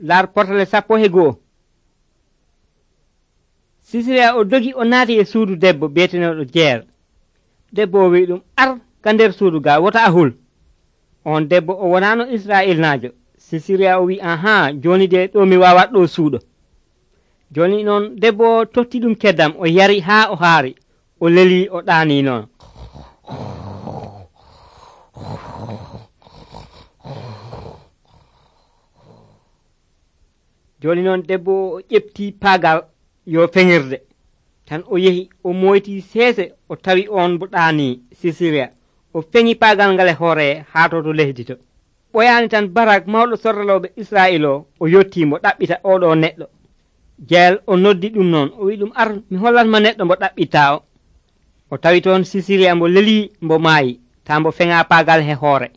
laar portale 11. Sisiriya o dogi o naati e suudu debbo beeteneɗo jeer. Debbo o wi ɗum ar ka nder suudu ga wota ahul. On debbo o wonano Isra'ilnaajo. Sisiriya o wi aha joni de ɗo mi wawat ɗo suuɗo. Joni noon debbo o totti ɗum keddam o yari haa o haari o leli o ɗaani noon. Joni noon debbo o ƴefti paagal yo feŋirde tan o yehi o moyti seese o tawi on bo ɗaani Sisiriya o feŋi paagal ngal e hoore haa to lesdi to. ɓoyaani tan Barak mawɗo sorroloɓe Israa'il o yottimo ɗaɓɓita oɗo neɗɗo. Jeyel o noddi ɗum noon o wi ɗum ar mi hollatma neɗɗo mo ɗaɓɓitta o tawi toon Sisiriya mbo leli mbo maayi ta mbo feŋa paagal he hoore.